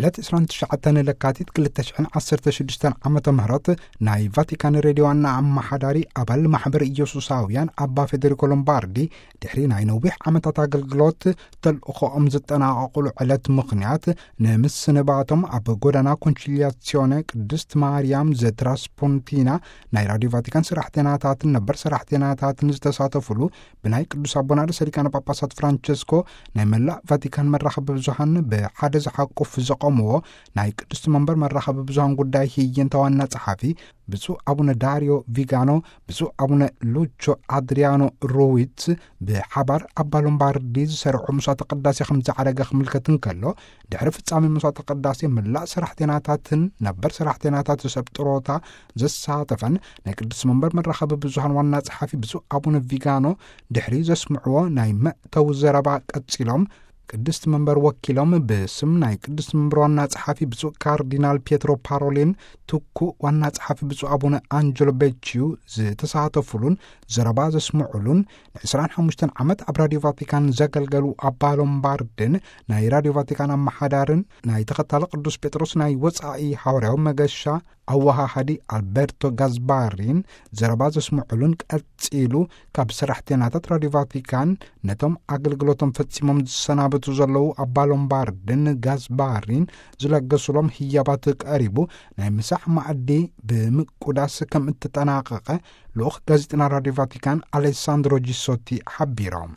ዕለት ዕስራን ትሽዓተን ለካቲት ክልተ ሽሕን ዓሰርተ ሽዱሽተን ዓመተ ምህረት ናይ ቫቲካን ሬድዮ ዋና ኣመሓዳሪ ኣባል ማሕበር ኢየሱሳውያን ኣባ ፌደሪኮ ሎምባርዲ ድሕሪ ናይ ነዊሕ ዓመታት ኣገልግሎት ተልእኾኦም ዝጠናቐቑሉ ዕለት ምኽንያት ንምስንባቶም ኣብ ጎዳና ኮንቺሊያሲዮነ ቅድስት ማርያም ዘትራስፖንቲና ናይ ራዲዮ ቫቲካን ሰራሕተናታትን ነበር ሰራሕተናታትን ዝተሳተፉሉ ብናይ ቅዱስ ኣቦና ርእሰ ሊቃነ ጳጳሳት ፍራንቸስኮ ናይ መላእ ቫቲካን መራኸቢ ብዙሃን ብሓደ ዝሓቁፍ ዘቐምዎ ናይ ቅዱስ መንበር መራኸቢ ብዙሃን ጉዳይ ህይንተ ዋና ጸሓፊ ብፁዕ ኣቡነ ዳሪዮ ቪጋኖ፣ ብፁዕ ኣቡነ ሉቾ ኣድሪያኖ ሮዊት ብሓባር ኣባ ሎምባርዲ ዝሰርዖ መስዋዕተ ቅዳሴ ከም ዝዓረገ ክምልከት እንከሎ፣ ድሕሪ ፍጻሜ መስዋዕተ ቅዳሴ ምላእ ሰራሕተናታትን ነበር ሰራሕተናታት ሰብ ጥሮታ ዘሳተፈን ናይ ቅዱስ መንበር መራኸቢ ብዙሃን ዋና ጸሓፊ ብፁዕ ኣቡነ ቪጋኖ ድሕሪ ዘስምዕዎ ናይ መእተዊ ዘረባ ቀጺሎም፣ ቅድስት መንበር ወኪሎም ብስም ናይ ቅድስት መንበር ዋና ጸሓፊ ብፁዕ ካርዲናል ፒየትሮ ፓሮሊን፣ ትኩእ ዋና ጸሓፊ ብፁዕ ኣቡነ ኣንጀሎ ቤቺዩ ዝተሳተፉሉን ዘረባ ዘስምዑሉን፣ ን ዕስራን ሓሙሽተን ዓመት ኣብ ራዲዮ ቫቲካን ዘገልገሉ ኣባ ሎምባርድን ናይ ራዲዮ ቫቲካን ኣመሓዳርን ናይ ተኸታሊ ቅዱስ ጴጥሮስ ናይ ወጻኢ ሓዋርያዊ መገሻ ኣወሃሃዲ ኣልበርቶ ጋዝባሪን ዘረባ ዘስምዑሉን ቀጺሉ ካብ ሰራሕተናታት ራዲዮ ቫቲካን ነቶም ኣገልግሎቶም ፈጺሞም ዝሰናበቱ ዘለዉ ኣባ ሎምባርድን ጋዝባሪን ዝለገሱሎም ህያባት ቀሪቡ ናይ ምሳሕ ማዕዲ ብምቁዳስ ከም እተጠናቐቐ ልኡኽ ጋዜጠና ራዲዮ ቫቲካን ኣሌሳንድሮ ጂሶቲ ሓቢሮም።